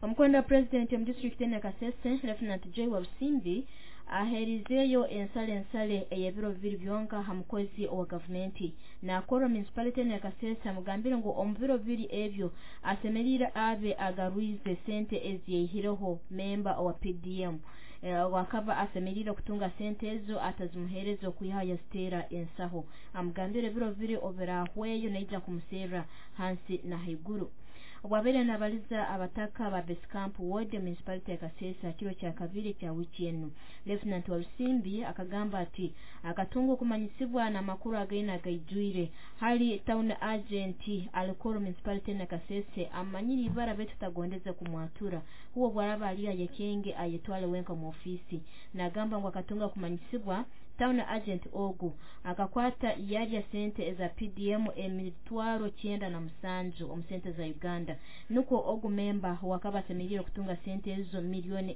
Omukwenda wa purezidenti omu disitulikiti ene Kasese, Lieutenant Joy Walusimbi, aherizeeyo ensale ensale ey'ebiro 2 byonka ha mukozi owa gavumenti nakorra municipality ene Kasese. Amugambire ngu omu biro 2 ebyo asemeriire abe agarwize sente eziyaihireho memba owa PDM wakaba asemeriire kutunga sente ezo atazimuheereza okwihaho yaziteera ensaho. Amugambire ebiro 2 obirahweyo naija kumuserra hansi na haiguru. Obwabaire nabaliza abataka ba Base Ward municipality ya Kasese kiro kya kabiri kya wiki enu, Lieutenant Walusimbi akagamba ati akatunga okumanyisibwa n'amakuru againe agaijwire hali town agent alikoro municipality na Kasese amanyire ibara betu tagondeze kumwatura huo bwaraba ali ayekenge ayetwale wenka mu ofisi. Nagamba ngu akatunga kumanyisibwa town agent ogu akakwata yarya sente eza PDM 97,000 omu sente za Uganda, nukwo ogu memba wakaba asemeriire kutunga sente ezo 1 million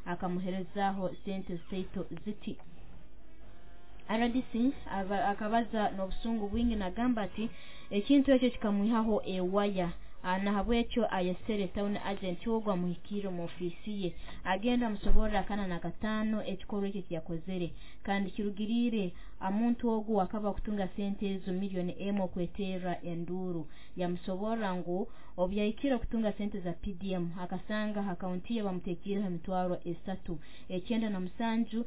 akamuherezaho sente zitaito ziti. RDC akabaza n'obusungu bwingi nagamba ati ekintu ekyo kikamwihaho ewaya, nahabwekyo ayesere town agent ogwo amuhikiire mu ofiisi ye, agenda amusoborra akana na kataano ekikorwa ekyo kiyakozere kandi kirugiriire amuntu ogu akaba kutunga sente ezo 1 million okweterra enduuru. Yamusoborra ngu obu yahikire kutunga sente za PDM akasanga akaunti ye bamuteekiireho 397,000,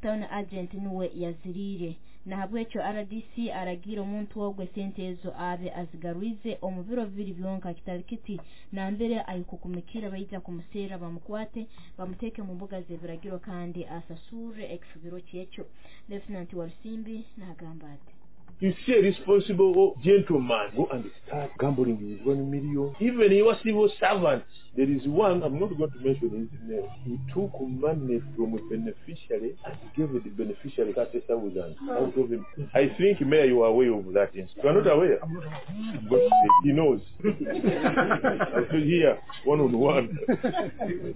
town agent nuwe yaziriire. Nahabwekyo RDC aragiire omuntu ogwo esente ezo abe azigarwize omu biro 2 byonka, kitali kiti nambere ayikukumikira baija kumuseera bamukwate bamuteeke mu mbuga z'ebiragiro kandi asasurre ekifubiro kyekyo. Lieutenant Walusimbi nagamba ati, You see a responsible gentleman go and start gambling with 1 million. Even your civil servants. There is one, I'm not going to mention his name. He took money from a beneficiary and gave the beneficiary 30,000 out of him. I think, Mayor, you are aware of that. You are not aware? I'm not aware. But he knows. I feel here one on one.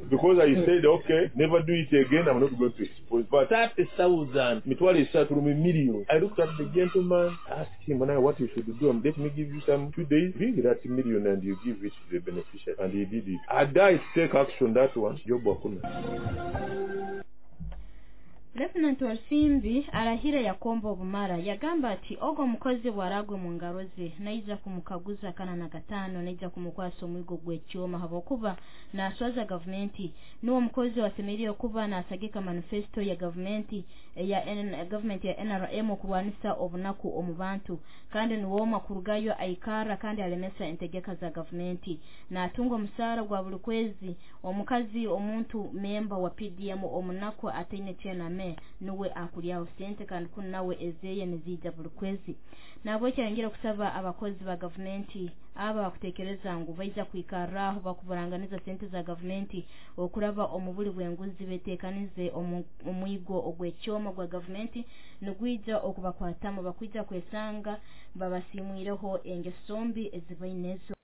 Because I said, okay, never do it again, I'm not going to expose. But 30,000, 30,000 million. I looked at the gentleman, asked him, now what you should do, and let me give you some 2 days, bring that million and you give it to the beneficiary. And he did it. I died to take action that one. Job Wakuna. Lieutenant Walusimbi arahira yakomba obumara, yagamba ati ogwo omukozi bwaragwe mu ngaro ze naija kumukaguza kana na kataano, naija kumukwasa omwigo gw'ekyoma habwokuba naswaza gavumenti. Nuwo omukozi wasemeriire kuba nasagika manifesto ya gavumenti ya gavumenti ya NRM okurwanisa obunaku omu bantu, kandi nuwomwe kurugayo aikara kandi alemesa entegeka za gavumenti, natunga omusaara gwa buli kwezi. Omukazi omuntu memba wa PDM omunaku ataine kyename nuwe akulyaho sente kandi kunu nawe ezeye niziija buli kwezi. Nabwekyo ayongera kusaba abakozi ba gavumenti aba bakutekereza ngu baija kwikarraho bakuburanganiza sente za gavumenti okuraba omu buli bw'enguzi betekanize omwigo ogw'ekyoma gwa gavumenti nigwija okubakwatamu, bakwija kwesanga babasimwireho engeso mbi ezibaine ezo.